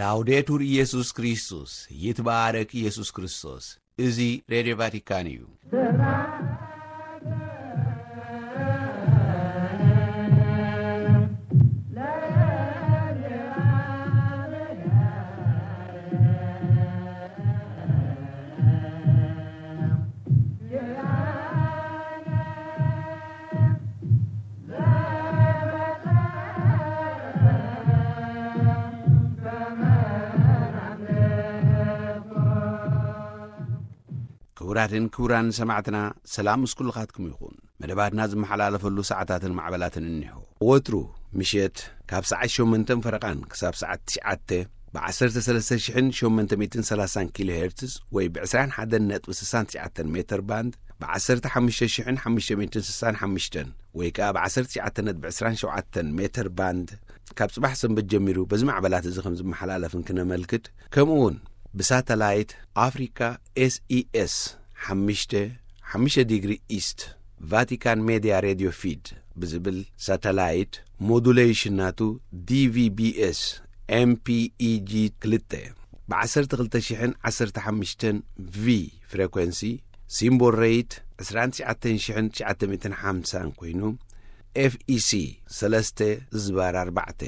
ላውዴቱር ኢየሱስ ክርስቶስ፣ ይትባረክ ኢየሱስ ክርስቶስ። እዚ ሬድዮ ቫቲካን እዩ። ክቡራትን ክቡራን ሰማዕትና፣ ሰላም ምስ ኩልኻትኩም ይኹን። መደባትና ዝመሓላለፈሉ ሰዓታትን መዓበላትን እኒሆ። ወትሩ ምሸት ካብ ሰዓት ሸሞንተን ፈረቓን ክሳብ ሰዓት ትሽዓተ ብ ዓሰርተ ሰለስተ ሽሕን ሸሞንተ ሚእትን ሰላሳን ኪሎ ሄርትዝ ወይ ብ ዕስራን ሓደን ነጥቢ ስሳን ትሽዓተን ሜተር ባንድ፣ ብ ዓሰርተ ሓሙሽተ ሽሕን ሓሙሽተ ሚእትን ስሳን ሓሙሽተን ወይ ከኣ ብ ዓሰርተ ትሽዓተ ነጥቢ ዕስራን ሸውዓተን ሜተር ባንድ፣ ካብ ጽባሕ ሰንበት ጀሚሩ በዚ ማዕበላት እዚ ከም ዝመሓላለፍ እንክነመልክት፣ ከምኡ እውን ብሳተላይት ኣፍሪካ ኤስኢኤስ ሓሙሽተ ሓሙሽተ ዲግሪ ኢስት ቫቲካን ሜድያ ሬድዮ ፊድ ብዝብል ሳተላይት ሞዱሌሽን ናቱ ዲቪቢኤስ ኤምፒኢጂ ክልተ ብ ዓሰርተ ክልተ ሽሕን ዓሰርተ ሓሙሽተን ቪ ፍሬኮንሲ፣ ሲምቦል ሬይት ዕስራን ትሽዓተን ሽሕን ትሽዓተ ሚእትን ሓምሳን ኮይኑ፣ ኤፍኢሲ ሰለስተ ዝባር ኣርባዕተ፣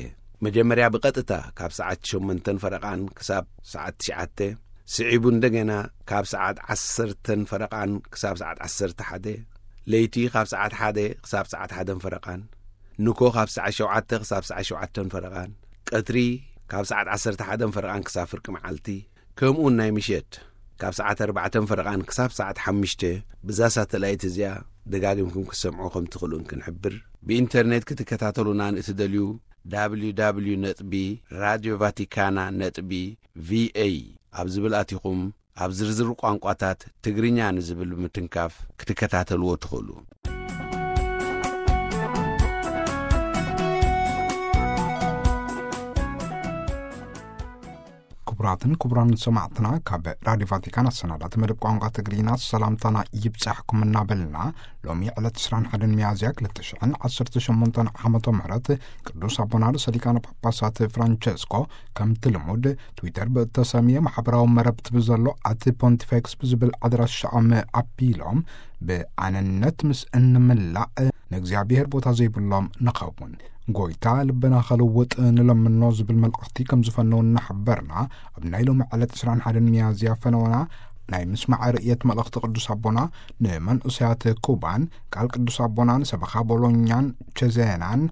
መጀመርያ ብቐጥታ ካብ ሰዓት ሸሞንተን ፈረቓን ክሳብ ሰዓት ትሽዓተ፣ ስዒቡ እንደገና ካብ ሰዓት ዓሰርተን ፈረቓን ክሳብ ሰዓት ዓሰርተ ሓደ፣ ለይቲ ካብ ሰዓት ሓደ ክሳብ ሰዓት ሓደን ፈረቓን፣ ንኮ ካብ ሰዓት ሸውዓተ ክሳብ ሰዓት ሸውዓተን ፈረቓን፣ ቀትሪ ካብ ሰዓት ዓሰርተ ሓደን ፈረቓን ክሳብ ፍርቂ መዓልቲ፣ ከምኡውን ናይ ምሸት ካብ ሰዓት ኣርባዕተን ፈረቓን ክሳብ ሰዓት ሓሙሽተ ብዛ ሳተላይት እዚኣ ደጋጊምኩም ክትሰምዑ ከም ትኽእሉ እንክንሕብር፣ ብኢንተርኔት ክትከታተሉና ንእትደልዩ፣ www ነጥቢ ራድዮ ቫቲካና ነጥቢ ቪኤ ኣብ ዝብል ኣቲኹም፣ ኣብ ዝርዝር ቋንቋታት ትግርኛ ንዝብል ብምትንካፍ ክትከታተልዎ ትኽእሉ። ክቡራትን ክቡራን ሰማዕትና፣ ካብ ራድዮ ቫቲካን ኣሰናዳእቲ መደብ ቋንቋ ትግርኛ ሰላምታና ይብጻሕኩም እናበልና፣ ሎሚ ዕለት ዕስራን ሓደን ሚያዝያ ክልተ ሽሕን ዓሰርተ ሸሞንተን ዓመተ ምህረት ቅዱስ ኣቦና ርእሰ ሊቃነ ጳጳሳት ፍራንቸስኮ ከምቲ ልሙድ ትዊተር ብእተሰምየ ማሕበራዊ መረብቲ ብዘሎ ኣቲ ፖንቲፌክስ ብዝብል ኣድራሻኦም ኣቢሎም፣ ብኣነነት ምስ እንምላእ ንእግዚኣብሔር ቦታ ዘይብሎም ንኸውን። ጎይታ ልብና ኸልውጥ ንለምኖ ዝብል መልእኽቲ ከም ዝፈነው እናሕበርና፣ ኣብ ናይ ሎሚ ዕለት ዕስራን ሓደን ሚያዝያ ፈነወና ናይ ምስማዕ ርእየት መልእኽቲ ቅዱስ ኣቦና ንመንእሰያት ኩባን፣ ቃል ቅዱስ ኣቦና ንሰበኻ ቦሎኛን ቸዜናን፣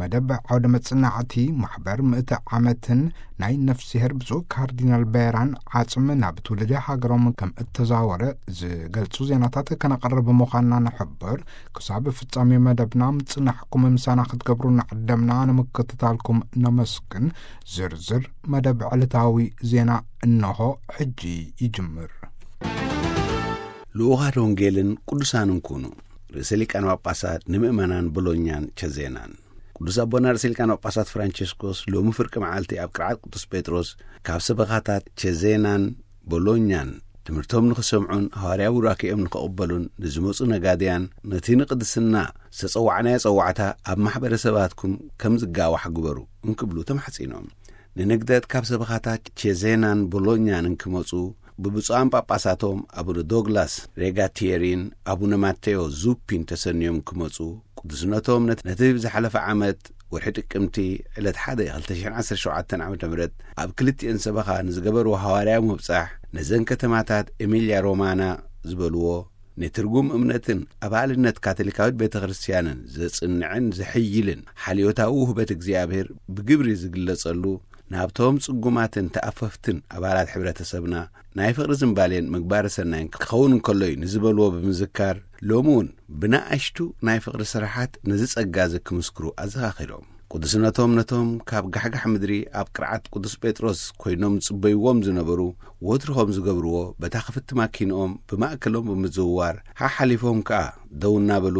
መደብ ዓውደ መጽናዕቲ ማሕበር ምእቲ ዓመትን ናይ ነፍስሄር ብፁዕ ካርዲናል ቤራን ዓጽሚ ናብ ትውልደ ሃገሮም ከም እተዛወረ ዝገልጹ ዜናታት ከነቕርብ ምዃንና ንሕብር። ክሳብ ፍጻሜ መደብና ምጽናሕኩም ምሳና ክትገብሩ እናዓደምና ንምክትታልኩም ነመስግን። ዝርዝር መደብ ዕለታዊ ዜና እንሆ ሕጂ ይጅምር። ልኡኻት ወንጌልን ቅዱሳንን ኩኑ። ርእሰ ሊቃነ ጳጳሳት ንምእመናን ቦሎኛን ቸዜናን። ቅዱስ ኣቦና ርእሰ ሊቃነ ጳጳሳት ፍራንቸስኮስ ሎሚ ፍርቂ መዓልቲ ኣብ ቅርዓት ቅዱስ ጴጥሮስ ካብ ሰበኻታት ቸዜናን ቦሎኛን ትምህርቶም ንኽሰምዑን ሃዋርያዊ ቡራኬኦም ንኽቕበሉን ንዝመጹ ነጋድያን፣ ነቲ ንቅድስና ዝተጸዋዕናዮ ጸዋዕታ ኣብ ማሕበረሰባትኩም ከም ዝጋዋሕ ግበሩ እንክብሉ ተማሕጺኖም። ንንግደት ካብ ሰበኻታት ቸዜናን ቦሎኛን እንክመጹ ብብፁዓን ጳጳሳቶም ኣቡነ ዶግላስ ሬጋቲየሪን ኣቡነ ማቴዎ ዙፒን ተሰንዮም ክመጹ፣ ቅዱስነቶም ነት-፣ ነቲ ብዝሓለፈ ዓመት ወርሒ ጥቅምቲ ዕለት ሓደ ክልተ ሽሕን ዓሰርተ ሸውዓተን ዓመተ ምህረት ኣብ ክልቲኤን ሰበኻ ንዝገበርዎ ሃዋርያዊ ምብጻሕ፣ ነዘን ከተማታት ኤሚልያ ሮማና ዝበልዎ፣ ንትርጉም እምነትን ኣባልነት ካቶሊካዊት ቤተ ክርስቲያንን ዘጽንዕን ዘሐይልን ሓልዮታዊ ውህበት እግዚኣብሔር ብግብሪ ዝግለጸሉ፣ ናብቶም ጽጉማትን ተኣፈፍትን ኣባላት ሕብረተሰብና ናይ ፍቕሪ ዝምባሌን ምግባረ ሰናይን ክኸውን እንከሎ እዩ ንዝበልዎ ብምዝካር፣ ሎሚ እውን ብንኣሽቱ ናይ ፍቕሪ ስራሓት ነዚ ጸጋ እዚ ክምስክሩ ኣዘኻኺሮም። ቅዱስነቶም ነቶም ካብ ጋሕጋሕ ምድሪ ኣብ ቅርዓት ቅዱስ ጴጥሮስ ኮይኖም ዝጽበይዎም ዝነበሩ፣ ወትሩ ከም ዝገብርዎ በታ ክፍቲ ማኪንኦም ብማእከሎም ብምዝውዋር፣ ሓሓሊፎም ከኣ ደው እናበሉ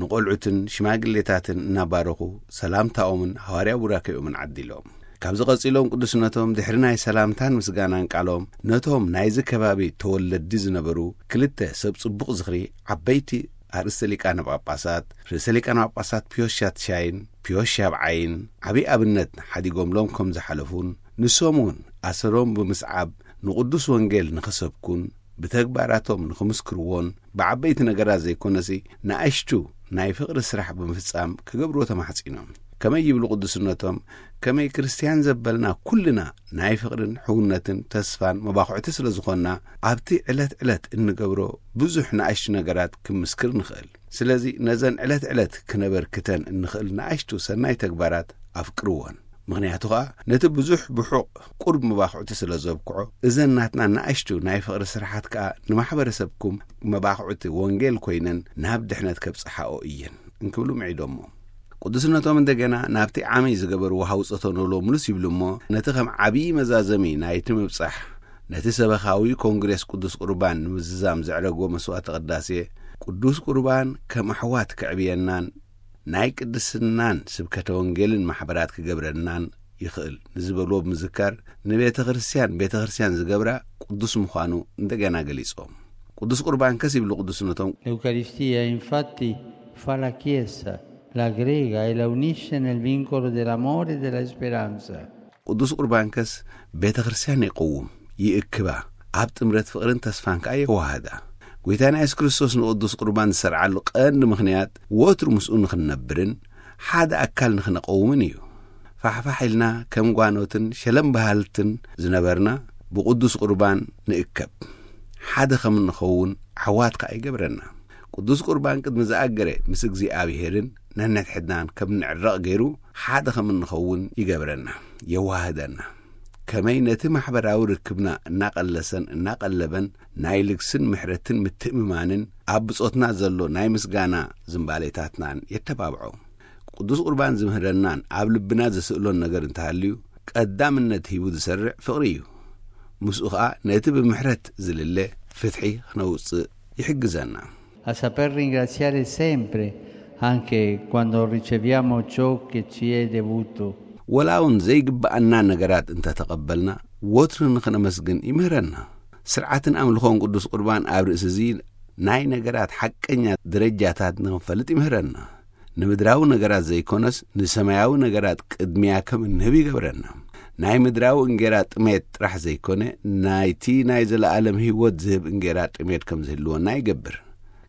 ንቖልዑትን ሽማግሌታትን እናባረኹ ሰላምታኦምን ሃዋርያዊ ቡራኬኦምን ዓዲሎም። ካብዚ ቀጺሎም ቅዱስነቶም ድሕሪ ናይ ሰላምታን ምስጋናን ቃሎም ነቶም ናይዚ ከባቢ ተወለድቲ ዝነበሩ ክልተ ሰብ ጽቡቕ ዝኽሪ ዓበይቲ ኣርእስተ ሊቃነ ጳጳሳት፣ ርእሰ ሊቃነ ጳጳሳት ፒዮስ ሻትሻይን ፒዮስ ሻብዓይን ዓብዪ ኣብነት ሓዲጎምሎም ከም ዝሓለፉን ንሶም እውን ኣሰሮም ብምስዓብ ንቕዱስ ወንጌል ንኽሰብኩን ብተግባራቶም ንኽምስክርዎን ብዓበይቲ ነገራት ዘይኮነሲ ንኣሽቱ ናይ ፍቕሪ ስራሕ ብምፍጻም ክገብርዎ ተማሕጺኖም። ከመይ ይብሉ ቅዱስነቶም? ከመይ ክርስትያን ዘበልና ኩልና ናይ ፍቕርን ሕውነትን ተስፋን መባኹዕቲ ስለ ዝኾንና ኣብቲ ዕለት ዕለት እንገብሮ ብዙሕ ንኣሽቱ ነገራት ክምስክር ንኽእል። ስለዚ ነዘን ዕለት ዕለት ክነበርክተን እንኽእል ንኣሽቱ ሰናይ ተግባራት ኣፍቅርዎን። ምኽንያቱ ኸኣ ነቲ ብዙሕ ብሑቕ ቁሩብ መባኹዕቲ ስለ ዘብክዖ እዘን ናትና ንኣሽቱ ናይ ፍቕሪ ስራሓት ከኣ ንማሕበረሰብኩም መባኹዕቲ ወንጌል ኮይነን ናብ ድሕነት ከብጽሓኦ እየን እንክብሉ ምዒዶሞ። ቅዱስነቶም እንደገና ናብቲ ዓመይ ዝገበርዎ ሃውጸቶ ኖሎምሉስ ይብሉ እሞ ነቲ ከም ዓብዪ መዛዘሚ ናይቲ ምብጻሕ ነቲ ሰበኻዊ ኮንግሬስ ቅዱስ ቁርባን ንምዝዛም ዘዕረጎ መስዋዕተ ቅዳሴ ቅዱስ ቁርባን ከም ኣሕዋት ክዕብየናን ናይ ቅድስናን ስብከተ ወንጌልን ማሕበራት ክገብረናን ይኽእል ንዝበልዎ ብምዝካር ንቤተ ክርስቲያን ቤተ ክርስቲያን ዝገብራ ቅዱስ ምዃኑ እንደገና ገሊጾም። ቅዱስ ቁርባን ከስ ይብሉ ቅዱስነቶም L'Eucaristia infatti fa la Chiesa, l'aggrega e la unisce nel vincolo dell'amore e della speranza. ቅዱስ ቁርባንከስ ቤተ ክርስቲያን ይቕውም፣ ይእክባ፣ ኣብ ጥምረት ፍቕርን ተስፋን ከኣ የዋህዳ። ጎይታና የሱስ ክርስቶስ ንቅዱስ ቁርባን ዝሰርዓሉ ቀንዲ ምኽንያት ወትሩ ምስኡ ንኽንነብርን ሓደ ኣካል ንኽንቐውምን እዩ። ፋሕፋሕ ኢልና ከም ጓኖትን ሸለም በሃልትን ዝነበርና ብቅዱስ ቁርባን ንእከብ፣ ሓደ ከም እንኸውን ዓዋት ከኣ ይገብረና። ቅዱስ ቁርባን ቅድሚ ዝኣገረ ምስ እግዚኣብሄርን ነንሕድሕድናን ከም ንዕረቕ ገይሩ ሓደ ከም እንኸውን ይገብረና፣ የዋህደና። ከመይ ነቲ ማሕበራዊ ርክብና እናቐለሰን እናቐለበን ናይ ልግስን ምሕረትን ምትእምማንን ኣብ ብጾትና ዘሎ ናይ ምስጋና ዝምባሌታትናን የተባብዖ። ቅዱስ ቁርባን ዝምህረናን ኣብ ልብና ዘስእሎን ነገር እንተሃልዩ ቀዳምነት ሂቡ ዝሰርዕ ፍቕሪ እዩ። ምስኡ ኸኣ ነቲ ብምሕረት ዝልለ ፍትሒ ክነውጽእ ይሕግዘና። A saper ringraziare sempre, anche quando riceviamo ciò che ci è devuto. ወላ እውን ዘይግብኣና ነገራት እንተተቐበልና ወትሩ ንኽነመስግን ይምህረና። ስርዓትን ኣምልኾን ቅዱስ ቁርባን ኣብ ርእሲ እዚ ናይ ነገራት ሓቀኛ ደረጃታት ንኽንፈልጥ ይምህረና። ንምድራዊ ነገራት ዘይኮነስ ንሰማያዊ ነገራት ቅድሚያ ከም እንህብ ይገብረና። ናይ ምድራዊ እንጌራ ጥሜት ጥራሕ ዘይኮነ ናይቲ ናይ ዘለኣለም ህይወት ዝህብ እንጌራ ጥሜት ከም ዝህልወና ይገብር።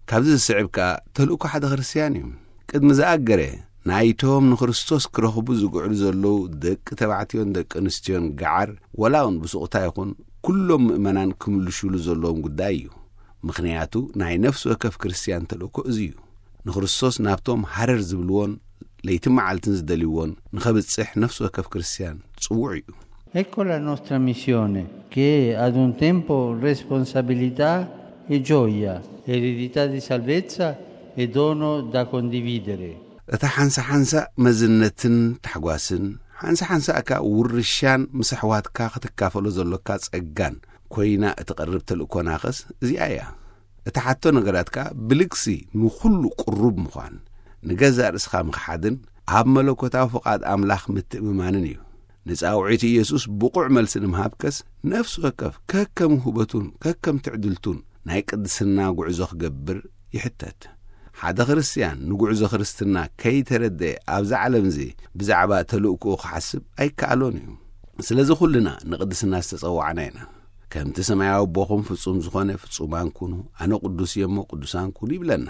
ካብዚ ዝስዕብ ከኣ ተልእኮ ሓደ ክርስትያን እዩ። ቅድሚ ዝኣገረ ናይቶም ንክርስቶስ ክረኽቡ ዝግዕሩ ዘለዉ ደቂ ተባዕትዮን ደቂ ኣንስትዮን ገዓር ወላ እውን ብስቕታ ይኹን ኩሎም ምእመናን ክምልሹሉ ዘለዎም ጉዳይ እዩ። ምኽንያቱ ናይ ነፍሲ ወከፍ ክርስትያን ተልእኮ እዚ እዩ። ንክርስቶስ ናብቶም ሃረር ዝብልዎን ለይቲ መዓልትን ዝደልይዎን ንኸብጽሕ ነፍሲ ወከፍ ክርስትያን ጽዉዕ እዩ። Ecco la nostra missione, che è ad un tempo responsabilità e gioia, eredità di salvezza e dono da condividere. እታ ሓንሳ ሓንሳ መዝነትን ታሕጓስን ሓንሳ ሓንሳ እካ ውርሻን ምስ ኣሕዋትካ ክትካፈሎ ዘሎካ ጸጋን ኮይና እትቐርብ ተልእኮናኸስ እዚኣ እያ። እታ ሓቶ ነገራት ከኣ ብልግሲ ንኹሉ ቅሩብ ምዃን፣ ንገዛእ ርእስኻ ምኽሓድን ኣብ መለኮታዊ ፍቓድ ኣምላኽ ምትእምማንን እዩ። ንጻውዒት ኢየሱስ ብቑዕ መልሲ ንምሃብከስ ነፍሲ ወከፍ ከከም ውህበቱን ከከም ትዕድልቱን ናይ ቅድስና ጉዕዞ ክገብር ይሕተት። ሓደ ክርስትያን ንጉዕዞ ክርስትና ከይተረደየ ኣብዛ ዓለም እዚ ብዛዕባ ተልእኮኡ ክሓስብ ኣይከኣሎን እዩ። ስለዚ ኩልና ንቅድስና ዝተጸዋዕና ኢና። ከምቲ ሰማያዊ ኣቦኹም ፍጹም ዝኾነ ፍጹማን ኩኑ፣ ኣነ ቅዱስ እየ እሞ ቅዱሳን ኩኑ ይብለና።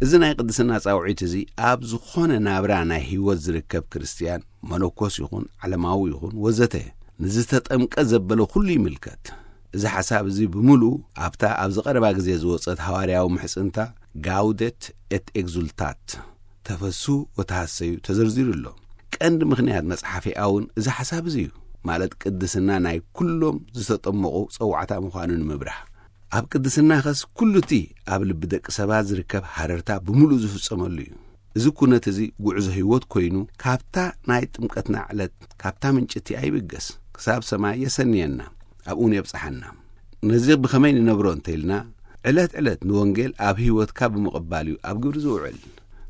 እዚ ናይ ቅድስና ጻውዒት እዚ ኣብ ዝኾነ ናብራ ናይ ህይወት ዝርከብ ክርስትያን መነኮስ ይኹን ዓለማዊ ይኹን ወዘተ ንዝተጠምቀ ዘበለ ኩሉ ይምልከት። እዚ ሓሳብ እዚ ብምሉኡ ኣብታ ኣብዚ ቀረባ ግዜ ዝወጸት ሃዋርያዊ ምሕጽንታ ጋውደት ኤት ኤግዙልታት ተፈሱ ወተሃሰዩ ተዘርዚሩ ኣሎ። ቀንዲ ምኽንያት መጽሓፊኣ እውን እዚ ሓሳብ እዚ እዩ። ማለት ቅድስና ናይ ኩሎም ዝተጠመቑ ጸዋዕታ ምዃኑ ንምብራህ። ኣብ ቅድስና ኸስ ኩሉ እቲ ኣብ ልቢ ደቂ ሰባት ዝርከብ ሃረርታ ብምሉእ ዝፍጸመሉ እዩ። እዚ ኩነት እዚ ጉዕዞ ህይወት ኮይኑ ካብታ ናይ ጥምቀትና ዕለት ካብታ ምንጭቲ ኣይብገስ ክሳብ ሰማይ የሰንየና ኣብኡን የብጽሓና። ነዚ ብኸመይ ንነብሮ እንተኢልና ዕለት ዕለት ንወንጌል ኣብ ህይወትካ ብምቕባል እዩ ኣብ ግብሪ ዝውዕል።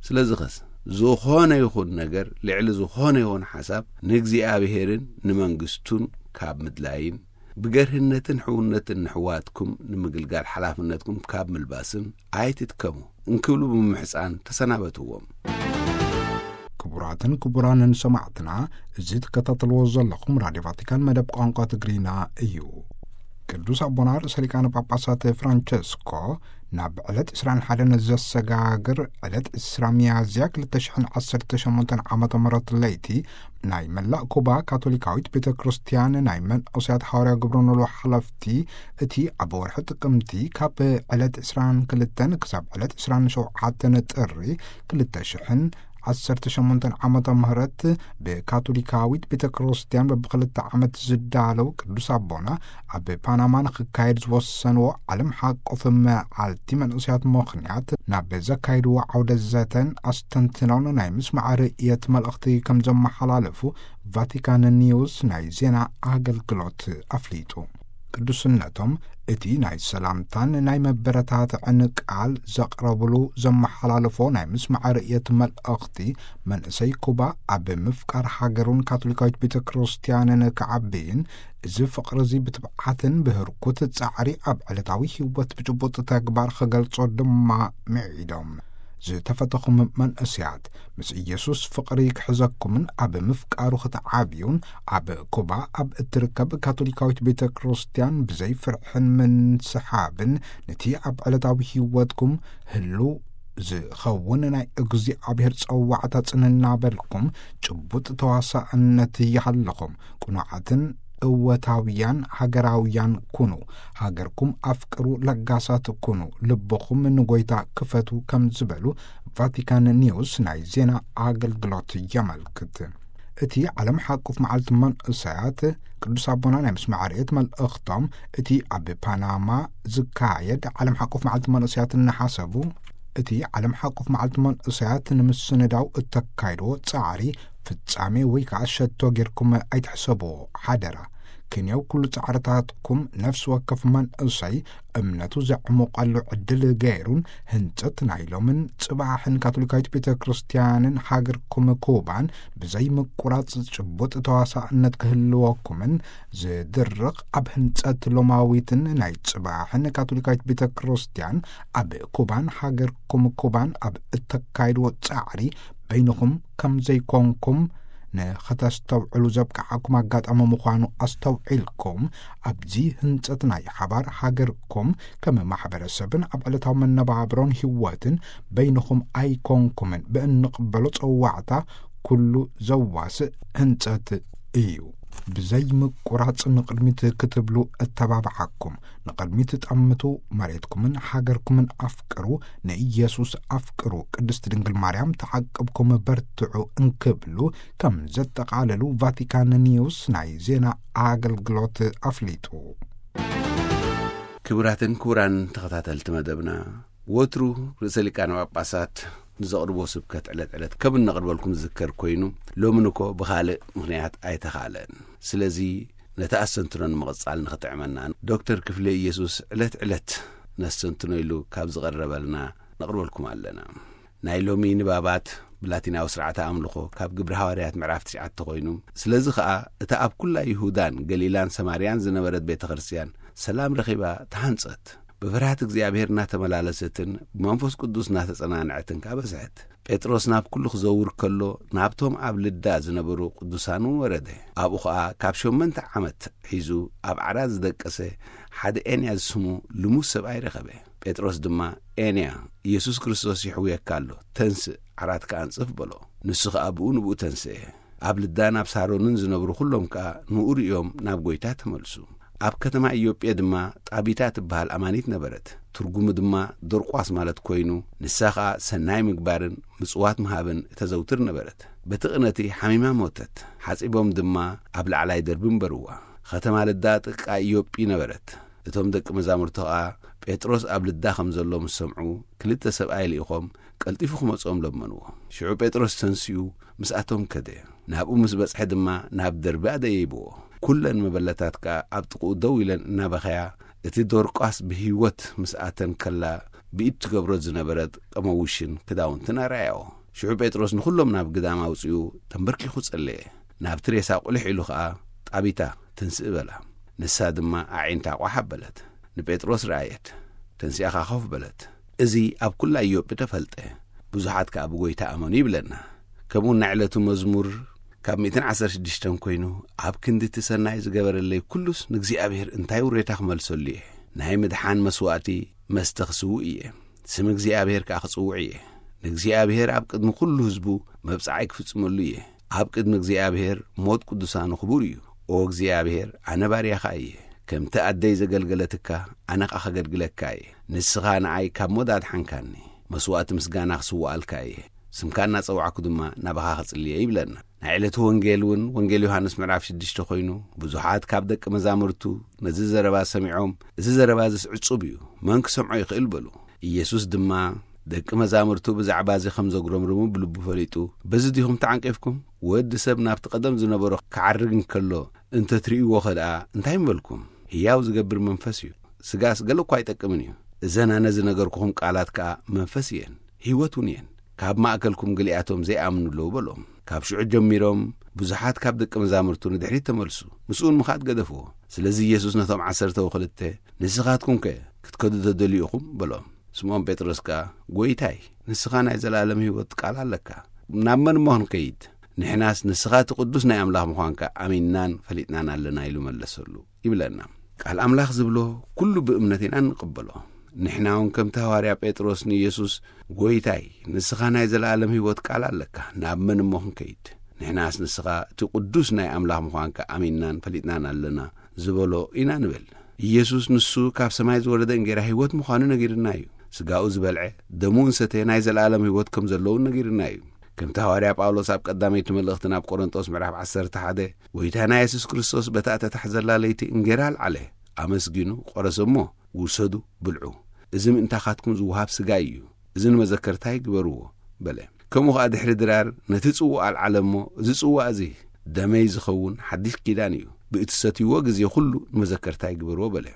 ስለዚ ኸስ ዝኾነ ይኹን ነገር ልዕሊ ዝኾነ ይኹን ሓሳብ ንእግዚኣብሔርን ንመንግስቱን ካብ ምድላይን ብገርህነትን ሕውነትን ንሕዋትኩም ንምግልጋል ሓላፍነትኩም ካብ ምልባስን ኣይትድከሙ እንክብሉ ብምምሕፃን ተሰናበትዎም። ክቡራትን ክቡራንን ሰማዕትና፣ እዚ ትከታተልዎ ዘለኹም ራድዮ ቫቲካን መደብ ቋንቋ ትግርኛ እዩ። ቅዱስ ኣቦና ርእሰ ሊቃነ ጳጳሳት ፍራንቸስኮ ናብ ዕለት ዕስራን ሓደን ዘሰጋግር ዕለት ዕስራ ሚያዝያ ክልተ ሽሕን ዓሰርተ ሸሞንተን ዓመተ ምህረት ለይቲ ናይ መላእ ኩባ ካቶሊካዊት ቤተ ክርስቲያን ናይ መንእሰያት ሓዋርያ ግብረ ኖሎ ሓለፍቲ፣ እቲ ኣብ ወርሒ ጥቅምቲ ካብ ዕለት ዕስራን ክልተን ክሳብ ዕለት ዕስራን ሸውዓተን ጥሪ ክልተ ሽሕን ዓሰርተ ሸሞንተን ዓመተ ምህረት ብካቶሊካዊት ቤተ ክርስቲያን በብክልተ ዓመት ዝዳለው ቅዱስ ኣቦና ኣብ ፓናማ ንክካየድ ዝወሰንዎ ዓለም ሓቆፍ መዓልቲ መንእሰያት ምኽንያት ናብ ዘካየድዎ ዓውደ ዘተን ኣስተንትኖን ናይ ምስማዕ ርእየት መልእኽቲ ከም ዘመሓላለፉ ቫቲካን ኒውስ ናይ ዜና ኣገልግሎት ኣፍሊጡ። ቅዱስነቶም እቲ ናይ ሰላምታን ናይ መበረታትዕን ቃል ዘቕረብሉ ዘመሓላለፎ ናይ ምስማዕ ርእየት መልእኽቲ፣ መንእሰይ ኩባ ኣብ ምፍቃር ሃገሩን ካቶሊካዊት ቤተ ክርስቲያንን ክዓብይን፣ እዚ ፍቕሪ እዚ ብትብዓትን ብህርኩት ጻዕሪ ኣብ ዕለታዊ ህይወት ብጭቡጥ ተግባር ክገልጾ ድማ ምዒዶም። ዝተፈተኹም መንእሰያት፣ ምስ ኢየሱስ ፍቕሪ ክሕዘኩምን ኣብ ምፍቃሩ ክትዓብዩን፣ ኣብ ኩባ ኣብ እትርከብ ካቶሊካዊት ቤተ ክርስቲያን ብዘይ ፍርሕን ምንስሓብን ነቲ ኣብ ዕለታዊ ህይወትኩም ህሉ ዝኸውን ናይ እግዚኣብሔር ጸዋዕታ ጽን እናበልኩም ጭቡጥ ተዋሳእነት ይሃልኹም። ቅኑዓትን እወታውያን ሃገራውያን ኩኑ። ሃገርኩም ኣፍቅሩ፣ ለጋሳት ኩኑ። ልብኹም ንጎይታ ክፈቱ ከም ዝበሉ ቫቲካን ኒውስ ናይ ዜና ኣገልግሎት የመልክት። እቲ ዓለም ሓቁፍ መዓልቲ መንእሰያት ቅዱስ ኣቦና ናይ ምስማዕ ርእየት መልእኽቶም፣ እቲ ኣብ ፓናማ ዝካየድ ዓለም ሓቁፍ መዓልቲ መንእሰያት እናሓሰቡ፣ እቲ ዓለም ሓቁፍ መዓልቲ መንእሰያት ንምስንዳው እተካይድዎ ጻዕሪ ፍጻሜ ወይ ከዓ ሸቶ ጌርኩም ኣይትሕሰብዎ፣ ሓደራ። ክንየው ኩሉ ጻዕርታትኩም ነፍሲ ወከፍ መንእሰይ እምነቱ ዘዕሙቐሉ ዕድል ገይሩን ህንጸት ናይ ሎምን ጽባሕን ካቶሊካዊት ቤተ ክርስቲያንን ሃገርኩም ኩባን ብዘይ ምቁራጽ ጭቡጥ ተዋሳእነት ክህልወኩምን ዝድርኽ ኣብ ህንጸት ሎማዊትን ናይ ጽባሕን ካቶሊካዊት ቤተ ክርስቲያን ኣብ ኩባን ሃገርኩም ኩባን ኣብ እተካይድዎ ጻዕሪ በይንኹም ከም ዘይኮንኩም ንኸተስተውዕሉ ዘብቅዓኩም ኣጋጣሚ ምዃኑ ኣስተውዒልኩም፣ ኣብዚ ህንጸት ናይ ሓባር ሃገርኩም ከም ማሕበረሰብን ኣብ ዕለታዊ መነባብሮን ህይወትን በይንኹም ኣይኮንኩምን። ብእንቕበሎ ጸዋዕታ ኩሉ ዘዋስእ ህንጸት እዩ። ብዘይ ምቁራጽ ንቕድሚት ክትብሉ እተባብዓኩም። ንቕድሚት ጠምቱ፣ መሬትኩምን ሃገርኩምን ኣፍቅሩ፣ ንኢየሱስ ኣፍቅሩ፣ ቅድስት ድንግል ማርያም ተዓቅብኩም በርትዑ እንክብሉ ከም ዘጠቓለሉ ቫቲካን ኒውስ ናይ ዜና ኣገልግሎት ኣፍሊጡ። ክቡራትን ክቡራን ተኸታተልቲ መደብና፣ ወትሩ ርእሰ ሊቃነ ጳጳሳት ንዘቕርቦ ስብከት ዕለት ዕለት ከም እነቕርበልኩም ዝዝከር ኮይኑ፣ ሎምን እኮ ብኻልእ ምኽንያት ኣይተኻለን። ስለዚ ነቲ ኣስተንትኖ ንምቕጻል ንኽጥዕመና፣ ዶክተር ክፍለ ኢየሱስ ዕለት ዕለት ነስተንትኖ ኢሉ ካብ ዝቐረበልና ነቕርበልኩም ኣለና። ናይ ሎሚ ንባባት ብላቲናዊ ስርዓተ ኣምልኾ ካብ ግብሪ ሃዋርያት ምዕራፍ ትሽዓተ ኮይኑ፣ ስለዚ ኸኣ እታ ኣብ ኩላ ይሁዳን ገሊላን ሰማርያን ዝነበረት ቤተ ክርስቲያን ሰላም ረኺባ ተሃንጸት። ብፍርሃት እግዚኣብሔር እናተመላለሰትን ብመንፈስ ቅዱስ እናተጸናንዐትን ከኣ በዝሐት። ጴጥሮስ ናብ ኩሉ ክዘውር ከሎ፣ ናብቶም ኣብ ልዳ ዝነበሩ ቅዱሳን እውን ወረደ። ኣብኡ ኸኣ ካብ ሸሞንተ ዓመት ሒዙ ኣብ ዓራት ዝደቀሰ ሓደ ኤንያ ዝስሙ ልሙስ ሰብኣይ ረኸበ። ጴጥሮስ ድማ፣ "ኤንያ፣ ኢየሱስ ክርስቶስ ይሕውየካ ኣሎ፣ ተንስእ፣ ዓራትካ ኣንጽፍ" በሎ። ንሱ ኸኣ ብኡ ንብኡ ተንስኤ። ኣብ ልዳ ናብ ሳሮንን ዝነብሩ ኩሎም ከኣ ንኡ ርእዮም ናብ ጐይታ ተመልሱ። ኣብ ከተማ ኢዮጴ ድማ ጣቢታ ትበሃል ኣማኒት ነበረት። ትርጉሙ ድማ ዶርቋስ ማለት ኮይኑ፣ ንሳ ኸኣ ሰናይ ምግባርን ምጽዋት ምሃብን እተዘውትር ነበረት። በቲ ቅነቲ ሓሚማ ሞተት። ሓጺቦም ድማ ኣብ ላዕላይ ደርቢ እንበርዋ። ኸተማ ልዳ ጥቃ ኢዮጲ ነበረት። እቶም ደቂ መዛሙርቲ ኸኣ ጴጥሮስ ኣብ ልዳ ኸም ዘሎ ምስ ሰምዑ፣ ክልተ ሰብኣይ ልኢኾም ቀልጢፉ ክመጽኦም ለመንዎ። ሽዑ ጴጥሮስ ተንሲኡ ምስኣቶም ከደ። ናብኡ ምስ በጽሐ ድማ ናብ ደርቢ ኣደየይብዎ። ኩለን መበለታት ከኣ ኣብ ጥቕኡ ደው ኢለን እናበኸያ፣ እቲ ዶርቃስ ብህይወት ምስ ኣተን ከላ ብኢድ ትገብሮ ዝነበረት ቀመውሽን ክዳውንትን ኣርኣያዎ። ሽዑ ጴጥሮስ ንኹሎም ናብ ግዳም ኣውጺኡ ተንበርኪኹ ጸለየ። ናብቲ ሬሳ ቁልሕ ኢሉ ኸኣ፣ "ጣቢታ፣ ተንስእ" በላ። ንሳ ድማ ኣዒንታ ቋሕ ኣበለት። ንጴጥሮስ ረኣየት። ተንሲኣ ኸኣ ኮፍ በለት። እዚ ኣብ ኩላ ኢዮጴ ተፈልጠ። ብዙሓት ከኣ ብጐይታ ኣመኑ ይብለና። ከምኡ ናይ ዕለቱ መዝሙር ካብ ሚእትን ዓሰርተ ሽዱሽተን ኮይኑ፣ ኣብ ክንዲ እቲ ሰናይ ዝገበረለይ ኩሉስ ንእግዚኣብሔር እንታይ ውሬታ ክመልሰሉ እየ? ናይ ምድሓን መስዋእቲ መስተ ክስውእ እየ፣ ስም እግዚኣብሔር ከኣ ክጽውዕ እየ። ንእግዚኣብሔር ኣብ ቅድሚ ኩሉ ህዝቡ መብጽዓይ ክፍጽመሉ እየ። ኣብ ቅድሚ እግዚኣብሔር ሞት ቅዱሳኑ ክቡር እዩ። ኦ እግዚኣብሔር፣ ኣነ ባርያኻ እየ። ከምቲ ኣደይ ዘገልገለትካ፣ ኣነ ኸኣ ከገልግለካ እየ። ንስኻ ንኣይ ካብ ሞት ኣድሓንካኒ። መስዋእቲ ምስጋና ክስውኣልካ እየ። ስምካ እናጸዋዕኩ ድማ ናባኻ ክጽልየ ይብለና። ናይ ዕለቱ ወንጌል እውን ወንጌል ዮሃንስ ምዕራፍ ሽዱሽተ ኮይኑ፣ ብዙሓት ካብ ደቂ መዛሙርቱ ነዚ ዘረባ ሰሚዖም፣ "እዚ ዘረባ እዚስ ዕጹብ እዩ፣ መን ክሰምዖ ይኽእል?" በሉ። ኢየሱስ ድማ ደቂ መዛሙርቱ ብዛዕባ እዚ ከም ዘጉረምርሙ ብልቡ ፈሊጡ፣ "በዚ ዲኹም ተዓንቂፍኩም? ወዲ ሰብ ናብቲ ቀደም ዝነበሮ ክዓርግ እንከሎ እንተትርእይዎ ኸ ደኣ እንታይ ምበልኩም? ህያው ዝገብር መንፈስ እዩ፣ ስጋስ ገለ እኳ ኣይጠቅምን እዩ። እዘን ኣነ ዝነገርኩኹም ቃላት ከኣ መንፈስ እየን፣ ህይወት እውን እየን። ካብ ማእከልኩም ገሊኣቶም ዘይኣምኑ ኣለዉ" በሎም። ካብ ሽዑ ጀሚሮም ብዙሓት ካብ ደቂ መዛሙርቱ ንድሕሪት ተመልሱ፣ ምስኡ ንምኻድ ገደፍዎ። ስለዚ ኢየሱስ ነቶም ዓሰርተ ወክልተ፣ "ንስኻትኩም ከ ክትከዱ ተደልዩ ኢኹም?" በሎም። ስምዖን ጴጥሮስ ከኣ፣ "ጐይታይ፣ ንስኻ ናይ ዘለኣለም ህይወት ቃል ኣለካ። ናብ መን እሞ ክንከይድ? ንሕናስ ንስኻ እቲ ቅዱስ ናይ ኣምላኽ ምዃንካ ኣሚንናን ፈሊጥናን ኣለና" ኢሉ መለሰሉ። ይብለና። ቃል ኣምላኽ ዝብሎ ኩሉ ብእምነት ኢና እንቕበሎ። ንሕና እውን ከምቲ ሃዋርያ ጴጥሮስ ንኢየሱስ፣ "ጐይታይ፣ ንስኻ ናይ ዘለኣለም ህይወት ቃል ኣለካ፣ ናብ መን እሞ ክንከይድ? ንሕናስ ንስኻ እቲ ቅዱስ ናይ ኣምላኽ ምዃንካ ኣሚንናን ፈሊጥናን ኣለና" ዝበሎ ኢና ንብል። ኢየሱስ ንሱ ካብ ሰማይ ዝወረደ እንጌራ ህይወት ምዃኑ ነጊርና እዩ። ስጋኡ ዝበልዐ፣ ደሙ እንሰተ ናይ ዘለኣለም ህይወት ከም ዘለውን ነጊርና እዩ። ከምቲ ሃዋርያ ጳውሎስ ኣብ ቀዳመይቲ መልእኽቲ ናብ ቆሮንጦስ ምዕራፍ ዓሰርተ ሓደ፣ "ጐይታና የሱስ ክርስቶስ በታ እተታሕዘላ ለይቲ እንጌራ ኣልዓለ፣ ኣመስጊኑ፣ ቆረሰ እሞ፣ 'ውሰዱ፣ ብልዑ። እዚ ምእንታኻትኩም ዝወሃብ ስጋይ እዩ። እዚ ንመዘከርታይ ግበርዎ' በለ። ከምኡ ኸኣ ድሕሪ ድራር ነቲ ጽዋእ ኣልዓለ እሞ፣ 'እዚ ጽዋእ እዚ ደመይ ዝኸውን ሓድሽ ኪዳን እዩ። ብእትሰትይዎ ግዜ ኹሉ ንመዘከርታይ ግበርዎ' በለ።"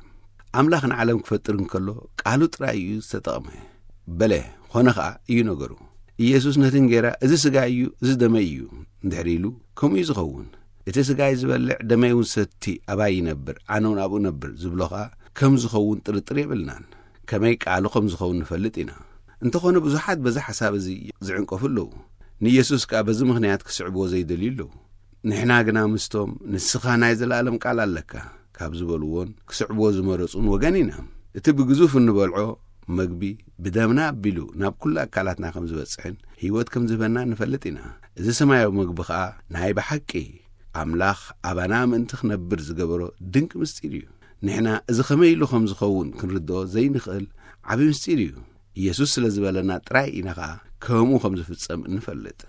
ኣምላኽ ንዓለም ክፈጥር እንከሎ ቃሉ ጥራይ እዩ ዝተጠቕመ። በለ፣ ኾነ ኸኣ እዩ ነገሩ። ኢየሱስ ነቲ እንጌራ፣ "እዚ ስጋይ እዩ፣ እዚ ደመይ እዩ" እንድሕር ኢሉ፣ ከምኡ እዩ ዝኸውን። "እቲ ስጋይ ዝበልዕ ደመይ እውን ሰቲ ኣባይ ይነብር፣ ኣነ እውን ኣብኡ እነብር" ዝብሎ ኸኣ ከም ዝኸውን ጥርጥር የብልናን። ከመይ ቃሉ ከም ዝኸውን ንፈልጥ ኢና። እንተኾነ ብዙሓት በዚ ሓሳብ እዚ ዝዕንቀፉ ኣለዉ። ንኢየሱስ ከኣ በዚ ምኽንያት ክስዕብዎ ዘይደልዩ ኣለዉ። ንሕና ግና ምስቶም "ንስኻ ናይ ዘለኣለም ቃል ኣለካ" ካብ ዝበልዎን ክስዕብዎ ዝመረጹን ወገን ኢና። እቲ ብግዙፍ እንበልዖ መግቢ ብደምና ኣቢሉ ናብ ኩሉ ኣካላትና ከም ዝበጽሕን ህይወት ከም ዝህበና ንፈልጥ ኢና። እዚ ሰማያዊ መግቢ ኸኣ ናይ ብሓቂ ኣምላኽ ኣባና ምእንቲ ክነብር ዝገበሮ ድንቂ ምስጢር እዩ። ንሕና እዚ ኸመይ ኢሉ ከም ዝኸውን ክንርድኦ ዘይንኽእል ዓቢ ምስጢር እዩ። ኢየሱስ ስለ ዝበለና ጥራይ ኢና ኸኣ ከምኡ ከም ዝፍጸም እንፈልጥ።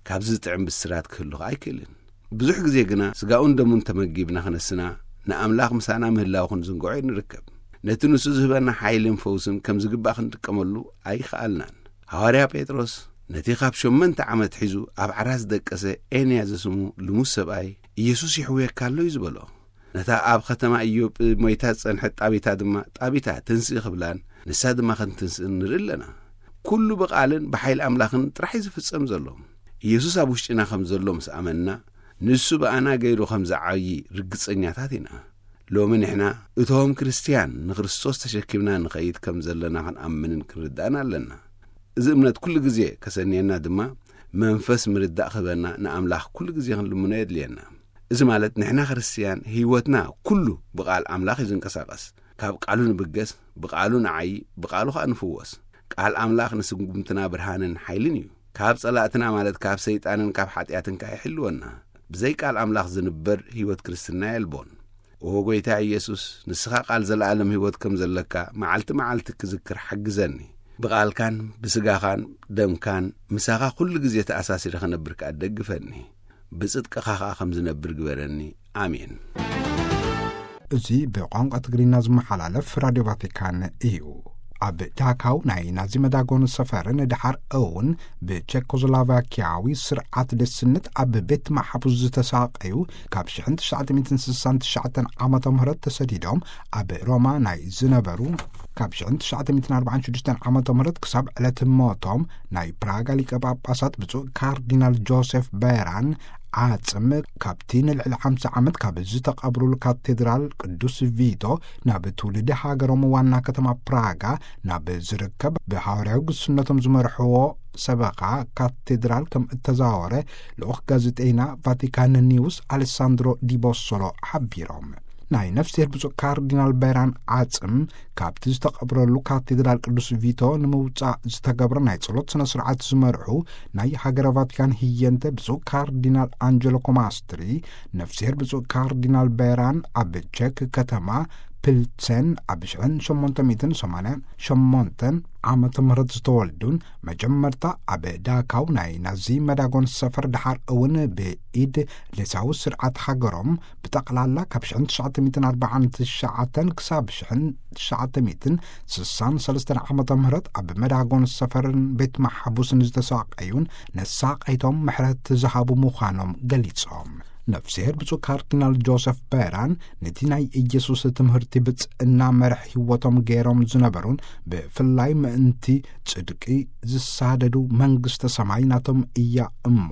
ካብዚ ዝጥዕም ብስራት ክህሉ ኸኣ ኣይክእልን። ብዙሕ ግዜ ግና ስጋኡን ደሙን ተመጊብና ክነስና፣ ንኣምላኽ ምሳና ምህላው ክንዝንግዖ ንርከብ። ነቲ ንሱ ዝህበና ሓይልን ፈውስን ከም ዝግባእ ክንጥቀመሉ ኣይኸኣልናን። ሃዋርያ ጴጥሮስ ነቲ ካብ ሸሞንተ ዓመት ሒዙ ኣብ ዓራት ዝደቀሰ ኤንያ ዝስሙ ልሙስ ሰብኣይ፣ "ኢየሱስ ይሕውየካ ኣሎ" እዩ ዝበሎ። ነታ ኣብ ኸተማ ኢዮጵ ሞይታ ዝጸንሐት ጣቢታ ድማ፣ "ጣቢታ፣ ትንስኢ" ክብላን ንሳ ድማ ከም ትንስእን ንርኢ ኣለና። ኩሉ ብቓልን ብሓይሊ ኣምላኽን ጥራሕ እዩ ዝፍጸም ዘሎ። ኢየሱስ ኣብ ውሽጢና ከም ዘሎ ምስ ኣመንና፣ ንሱ ብኣና ገይሩ ከም ዝዓዪ ርግጸኛታት ኢና። ሎሚ ንሕና እቶም ክርስትያን ንክርስቶስ ተሸኪምና ንኸይድ ከም ዘለና ክንኣምንን ክንርዳእን ኣለና። እዚ እምነት ኩሉ ግዜ ከሰንየና ድማ መንፈስ ምርዳእ ክህበና ንኣምላኽ ኩሉ ግዜ ክንልምኖ የድልየና። እዚ ማለት ንሕና ክርስትያን ህይወትና ኩሉ ብቓል ኣምላኽ እዩ ዝንቀሳቐስ። ካብ ቃሉ ንብገስ፣ ብቓሉ ንዓዪ፣ ብቓሉ ኸኣ ንፍወስ። ቃል ኣምላኽ ንስጉምትና ብርሃንን ሓይልን እዩ። ካብ ጸላእትና ማለት ካብ ሰይጣንን ካብ ሓጢኣትን ከኣ ይሕልወና። ብዘይ ቃል ኣምላኽ ዝንበር ህይወት ክርስትና የልቦን። ኦ ጐይታ ኢየሱስ፣ ንስኻ ቃል ዘለኣለም ህይወት ከም ዘለካ መዓልቲ መዓልቲ ክዝክር ሓግዘኒ። ብቓልካን ብስጋኻን ደምካን ምሳኻ ኩሉ ግዜ ተኣሳሲረ ክነብር ከኣ ደግፈኒ። ብጽድቅኻ ኸኣ ከም ዝነብር ግበረኒ። ኣሜን። እዚ ብቋንቋ ትግርኛ ዝመሓላለፍ ራድዮ ቫቲካን እዩ። ኣብ ዳካው ናይ ናዚ መዳጎኒ ሰፈርን ድሓር እውን ብቸኮስሎቫኪያዊ ስርዓት ደስነት ኣብ ቤት ማሕቡስ ዝተሳቀዩ፣ ካብ ሽሕን ትሽዓተ ሚእትን ስሳን ትሽዓተን ዓመተ ምህረት ተሰዲዶም ኣብ ሮማ ናይ ዝነበሩ፣ ካብ ሽሕን ትሽዓተ ሚእትን ኣርባዓን ሽዱሽተን ዓመተ ምህረት ክሳብ ዕለት ሞቶም ናይ ፕራጋ ሊቀ ጳጳሳት ብፁዕ ካርዲናል ጆሴፍ ቤራን ዓጽም ካብቲ ንልዕሊ ሓምሳ ዓመት ካብ ዝተቐብሩሉ ካቴድራል ቅዱስ ቪቶ ናብ ትውልዲ ሃገሮም ዋና ከተማ ፕራጋ ናብ ዝርከብ ብሃዋርያዊ ግስነቶም ዝመርሕዎ ሰበኻ ካቴድራል ከም እተዛወረ ልኡኽ ጋዜጠይና ቫቲካን ኒውስ ኣሌሳንድሮ ዲቦሶሎ ሓቢሮም። ናይ ነፍስሔር ብፁዕ ካርዲናል ቤራን ዓጽም ካብቲ ዝተቐብረሉ ካቴድራል ቅዱስ ቪቶ ንምውጻእ ዝተገብረ ናይ ጸሎት ስነ ስርዓት ዝመርሑ ናይ ሃገረ ቫቲካን ህየንተ ብፁዕ ካርዲናል ኣንጀሎ ኮማስትሪ፣ ነፍስሔር ብፁዕ ካርዲናል ቤራን ኣብ ቼክ ከተማ ፕልሰን ኣብ ሽሕን ሸሞንተ ሚእትን ሰማንያን ሸሞንተን ዓመተ ምህረት ዝተወልዱን መጀመርታ ኣብ ዳካው ናይ ናዚ መዳጎን ሰፈር ድሓር እውን ብኢድ ሌሳዊ ስርዓት ሃገሮም ብጠቕላላ ካብ ሽሕን ትሽዓተ ሚእትን ኣርባዓን ትሽዓተን ክሳብ ሽሕን ትሽዓተ ሚእትን ስሳን ሰለስተን ዓመተ ምህረት ኣብ መዳጎን ሰፈርን ቤት ማሕቡስን ዝተሳቀዩን ነሳቀይቶም ምሕረት ዝሃቡ ምዃኖም ገሊጾም። ነፍስሔር ብፁዕ ካርዲናል ጆሰፍ ቤራን ነቲ ናይ ኢየሱስ ትምህርቲ ብጽእና መርሕ ህይወቶም ገይሮም ዝነበሩን ብፍላይ ምእንቲ ጽድቂ ዝሳደዱ መንግስተ ሰማይ ናቶም እያ እሞ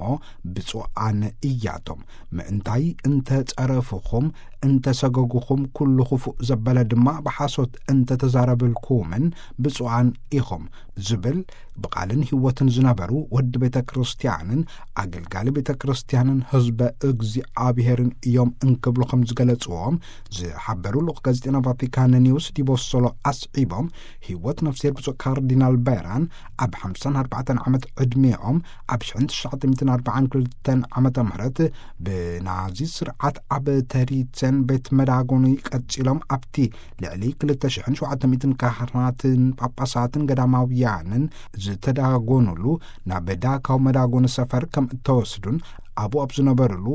ብፁዓን እያቶም። ምእንታይ እንተ ጸረፍኹም፣ እንተ ሰገጉኹም፣ ኩሉ ክፉእ ዘበለ ድማ ብሓሶት እንተ ተዛረብልኩምን ብፁዓን ኢኹም ዝብል ብቓልን ህይወትን ዝነበሩ ወዲ ቤተ ክርስቲያንን ኣገልጋሊ ቤተ ክርስቲያንን ህዝበ እግዚኣብሔርን እዮም እንክብሉ ከም ዝገለጽዎም ዝሓበሩ ልኡኽ ጋዜጠና ቫቲካን ኒውስ ዲቦሶሎ ኣስዒቦም፣ ህይወት ነፍስሔር ብፁዕ ካርዲናል ቤራን ኣብ ሓምሳን ኣርባዕተን ዓመት ዕድሜኦም ኣብ ሽሕን ትሽዓተ ሚእትን ኣርባዓን ክልተን ዓመተ ምህረት ብናዚ ስርዓት ኣብ ተሪተን ቤት መዳጎኒ ቀጺሎም ኣብቲ ልዕሊ ክልተ ሽሕን ሸውዓተ ሚእትን ካህናትን ጳጳሳትን ገዳማውያንን ዝተዳጎኑሉ ናብ ዳካው መዳጎኒ ሰፈር ከም እተወስዱን ኣብኡ ኣብ ዝነበሩሉ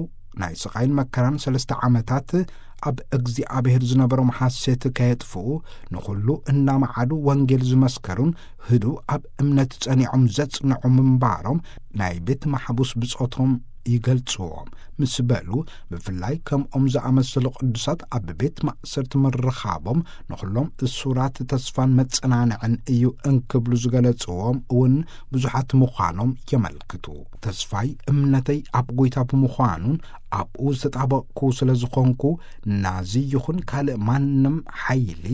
ናይ ስቓይን መከራን ሰለስተ ዓመታት ኣብ እግዚኣብሔር ዝነበሮም ሓሴት ከየጥፍኡ ንኹሉ እናመዓዱ ወንጌል ዝመስከሩን ህዱእ ኣብ እምነት ጸኒዖም ዘጽንዑ ምንባሮም ናይ ቤት ማሕቡስ ብጾቶም ይገልጽዎም ምስ በሉ፣ ብፍላይ ከምኦም ዝኣመሰሉ ቅዱሳት ኣብ ቤት ማእሰርቲ ምርኻቦም ንኹሎም እሱራት ተስፋን መጸናንዕን እዩ እንክብሉ ዝገለጽዎም እውን ብዙሓት ምዃኖም የመልክቱ። ተስፋይ እምነተይ ኣብ ጎይታ ብምዃኑን ኣብኡ ዝተጣበቕኩ ስለ ዝኾንኩ ናዚ ይኹን ካልእ ማንም ሓይሊ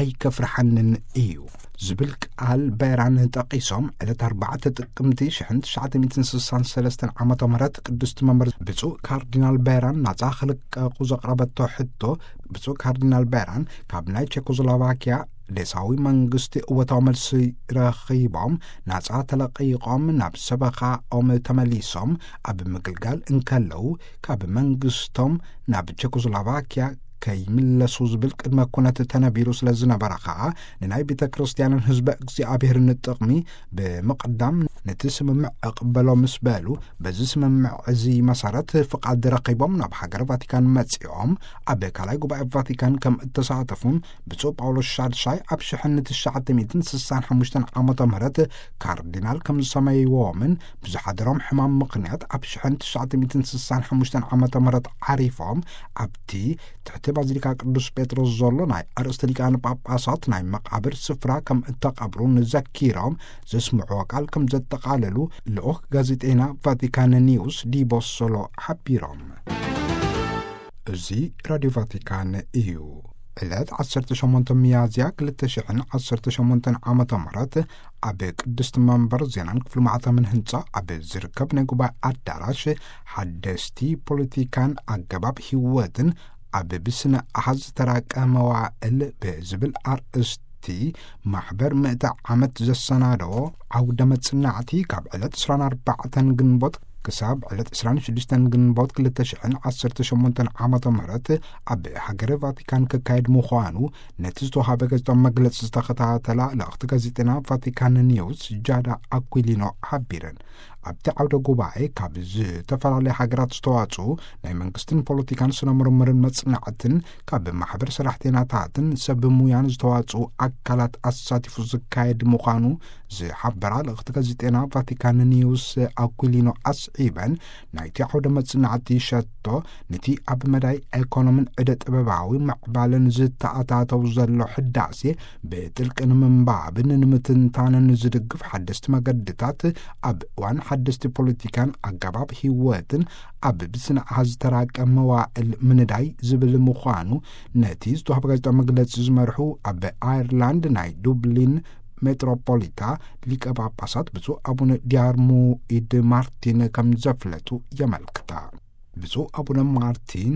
ኣይከፍርሓንን እዩ ዝብል ቃል በራን ጠቒሶም፣ ዕለት ኣርባዕተ ጥቅምቲ ሽሕን ትሽዓተ ሚእትን ስሳን ሰለስተን ዓመተ ምህረት ቅድስቲ መንበር ብፁዕ ካርዲናል በራን ናጻ ክልቀቑ ዘቕረበቶ ሕቶ፣ ብፁዕ ካርዲናል በራን ካብ ናይ ቼኮስሎቫኪያ ዴሳዊ መንግስቲ እወታዊ መልሲ ረኺቦም ናጻ ተለቒቖም ናብ ሰበኻኦም ተመሊሶም ኣብ ምግልጋል እንከለዉ፣ ካብ መንግስቶም ናብ ቼኮስሎቫኪያ ከይምለሱ ዝብል ቅድመ ኩነት ተነቢሩ ስለ ዝነበረ ኸኣ፣ ንናይ ቤተ ክርስቲያንን ህዝበ እግዚኣብሔርን ጥቕሚ ብምቕዳም ነቲ ስምምዕ እቕበሎ ምስ በሉ፣ በዚ ስምምዕ እዚ መሰረት ፍቓድ ረኺቦም ናብ ሃገረ ቫቲካን መጺኦም ኣብ ካልኣይ ጉባኤ ቫቲካን ከም እተሳተፉን ብፁዕ ጳውሎስ ሻድሻይ ኣብ ሽሕን ትሽዓተ ሚእትን ስሳን ሓሙሽተን ዓመተ ምህረት ካርዲናል ከም ዝሰመይዎምን ብዝሓደሮም ሕማም ምኽንያት ኣብ ሽሕን ትሽዓተ ሚእትን ስሳን ሓሙሽተን ዓመተ ምህረት ዓሪፎም ኣብቲ ትሕቲ ባዚሊካ ቅዱስ ጴጥሮስ ዘሎ ናይ ኣርእስቲ ሊቃነ ጳጳሳት ናይ መቓብር ስፍራ ከም እተቐብሩን ዘኪሮም ዘስምዕዎ ቃል ከም ዘጠቓለሉ ልኡኽ ጋዜጠይና ቫቲካን ኒውስ ዲቦሶሎ ሓቢሮም። እዚ ራድዮ ቫቲካን እዩ። ዕለት ዓሰርተ ሸሞንተ ሚያዝያ ክልተ ሽሕን ዓሰርተ ሸሞንተን ዓመተ ምህረት ኣብ ቅድስቲ መንበር ዜናን ክፍሊ ማዕተምን ህንጻ ኣብ ዝርከብ ናይ ጉባኤ ኣዳራሽ ሓደስቲ ፖለቲካን ኣገባብ ህይወትን ኣብ ብስነ ኣሃዝ ዝተራቀ መዋእል ብዝብል ኣርእስቲ ማሕበር ምእተ ዓመት ዘሰናደዎ ዓውደ መጽናዕቲ ካብ ዕለት ዕስራን ኣርባዕተን ግንቦት ክሳብ ዕለት ዕስራን ሽዱሽተን ግንቦት ክልተ ሽሕን ዓሰርተ ሸሞንተን ዓመተ ምህረት ኣብ ሃገረ ቫቲካን ክካየድ ምዃኑ ነቲ ዝተዋሃበ ጋዜጣዊ መግለጺ ዝተኸታተላ ልእኽቲ ጋዜጠና ቫቲካን ኒውስ ጃዳ ኣኩሊኖ ሓቢረን። ኣብቲ ዓውደ ጉባኤ ካብ ዝተፈላለያ ሃገራት ዝተዋጽኡ ናይ መንግስትን ፖለቲካን ስነ ምርምርን መጽናዕትን ካብ ማሕበር ሰራሕተኛታትን ሰብ ሙያን ዝተዋጽኡ ኣካላት ኣሳቲፉ ዝካየድ ምዃኑ ዝሓበራ ልእኽቲ ጋዜጠና ቫቲካን ኒውስ ኣኩሊኖ ኣስዒበን፣ ናይቲ ዓውደ መጽናዕቲ ሸቶ ነቲ ኣብ መዳይ ኤኮኖምን ዕደ ጥበባዊ ምዕባለን ዝተኣታተው ዘሎ ሕዳሴ ብጥልቂ ንምንባብን ንምትንታንን ዝድግፍ ሓደስቲ መገድታት ኣብ እዋን ሓደስቲ ፖለቲካን ኣገባብ ህይወትን ኣብ ብስነ ኣሃዝ ዝተራቀ መዋእል ምንዳይ ዝብል ምዃኑ ነቲ ዝተዋህበ ጋዜጣዊ መግለጺ ዝመርሑ ኣብ ኣየርላንድ ናይ ዱብሊን ሜትሮፖሊታ ሊቀ ጳጳሳት ብፁዕ ኣቡነ ዲያርሙይድ ማርቲን ከም ዘፍለጡ የመልክታ። ብፁዕ ኣቡነ ማርቲን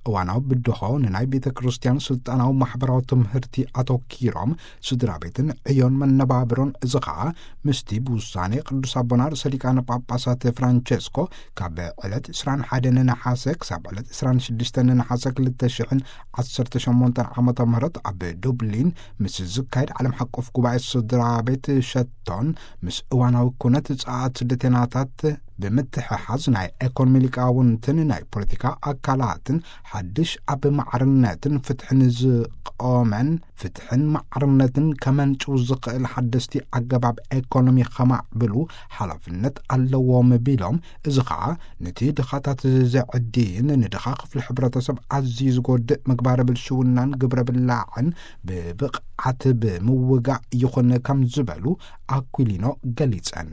እዋናዊ ብድሆ ንናይ ቤተ ክርስቲያን ስልጣናዊ ማሕበራዊ ትምህርቲ ኣተኪሮም ስድራ ቤትን ዕዮን መነባብሮን፣ እዚ ኸኣ ምስቲ ብውሳኔ ቅዱስ ኣቦና ርእሰ ሊቃነ ጳጳሳት ፍራንቸስኮ ካብ ዕለት ዕስራን ሓደን ነሓሰ ክሳብ ዕለት ዕስራን ሽዱሽተን ነሓሰ ክልተ ሽሕን ዓሰርተ ሸሞንተን ዓመተ ምህረት ኣብ ዱብሊን ምስ ዝካየድ ዓለም ሓቆፍ ጉባኤ ስድራ ቤት ሸቶን ምስ እዋናዊ ኩነት ጸዓት ስደተናታት ብምትሕሓዝ ናይ ኤኮኖሚ ሊቃውንትን ናይ ፖለቲካ ኣካላትን ሓድሽ ኣብ ማዕርነትን ፍትሕን ዝቆመን ፍትሕን ማዕርነትን ከመንጭው ዝኽእል ሓደስቲ ኣገባብ ኤኮኖሚ ከማዕብሉ ሓላፍነት ኣለዎም ቢሎም፣ እዚ ኸኣ ነቲ ድኻታት ዘዕድይን ንድኻ ክፍሊ ሕብረተሰብ ኣዝዩ ዝጎድእ ምግባረ ብልሽውናን ግብረ ብላዕን ብብቕዓት ብምውጋእ ይኹን ከም ዝበሉ ኣኩሊኖ ገሊጸን።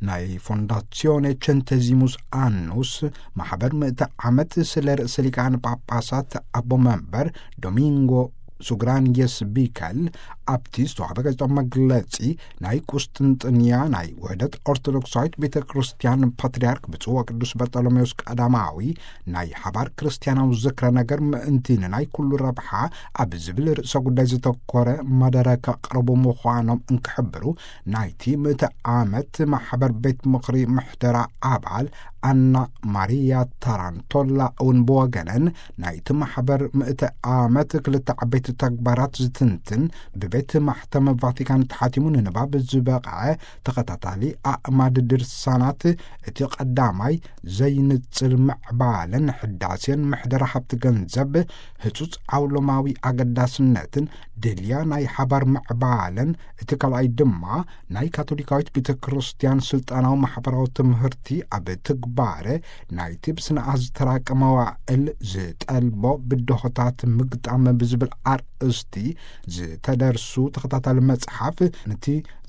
ናይ ፎንዳሲዮኔ ቸንተዚሙስ ኣኑስ ማሕበር ምእተ ዓመት ስለ ርእሰ ሊቃነ ጳጳሳት ኣቦ መንበር ዶሚንጎ ሱግራንየስ ቢከል ኣብቲ ዝተዋህበ ጋዜጣዊ መግለጺ፣ ናይ ቁስጥንጥንያ ናይ ውህደት ኦርቶዶክሳዊት ቤተ ክርስቲያን ፓትርያርክ ብፁዕ ወቅዱስ በርጠሎሜዎስ ቀዳማዊ ናይ ሓባር ክርስቲያናዊ ዝክረ ነገር ምእንቲ ንናይ ኩሉ ረብሓ ኣብ ዝብል ርእሰ ጉዳይ ዝተኮረ መደረ ከቕርቡ ምዃኖም እንክሕብሩ፣ ናይቲ ምእተ ዓመት ማሕበር ቤት ምኽሪ ምሕደራ ኣባል ኣና ማሪያ ታራንቶላ እውን ብወገነን ናይቲ ማሕበር ምእተ ዓመት ክልተ ዓበይቲ ተግባራት ዝትንትን ብቤት ማሕተም ቫቲካን ተሓቲሙ ንንባብ ዝበቕዐ ተኸታታሊ ኣእማድ ድርሳናት እቲ ቀዳማይ ዘይንጽል ምዕባለን ሕዳሴን ምሕደራ ሃብቲ ገንዘብ ህጹጽ ዓውሎማዊ ኣገዳስነትን ድልያ ናይ ሓባር ምዕባለን እቲ ካልኣይ ድማ ናይ ካቶሊካዊት ቤተ ክርስቲያን ስልጣናዊ ማሕበራዊ ትምህርቲ ኣብ ትግባረ ናይቲ ብስነ ኣሃዝ ዝተራቀ መዋእል ዝጠልቦ ብድሆታት ምግጣም ብዝብል ኣርእስቲ ዝተደርሱ ተኸታታሊ መጽሓፍ ነቲ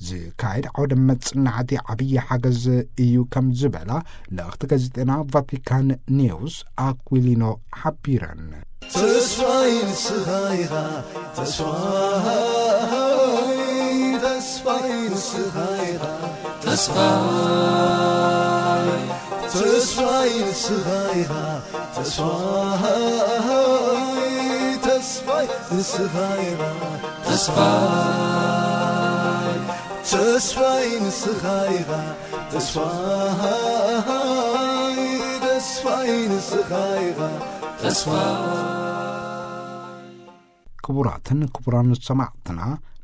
ዝካየድ ዓውደ መጽናዕቲ ዓብዪ ሓገዝ እዩ ከም ዝበላ ልእኽቲ ጋዜጠና ቫቲካን ኒውስ ኣኩሊኖ ሓቢረን። ተስፋይ ንስኻ ኢኻ፣ ተስፋይ፣ ተስፋይ ንስኻ ኢኻ፣ ተስፋይ፣ ተስፋይ ንስኻ ኢኻ፣ ተስፋይ፣ ተስፋይ ንስኻ ኢኻ፣ ተስፋይ፣ ተስፋይ ንስኻ ኢኻ፣ ተስፋይ፣ ተስፋይ ንስኻ ኢኻ፣ ተስፋይ። ክቡራትን ክቡራን ሰማዕትና፣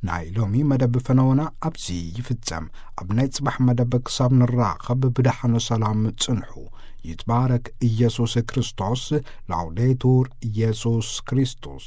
ናይ ሎሚ መደብ ፈነወና ኣብዚ ይፍጸም። ኣብ ናይ ጽባሕ መደብ ክሳብ ንራኸብ ብደሓነ ሰላም ጽንሑ። ይትባረክ ኢየሱስ ክርስቶስ። ላውዴቱር ኢየሱስ ክርስቶስ።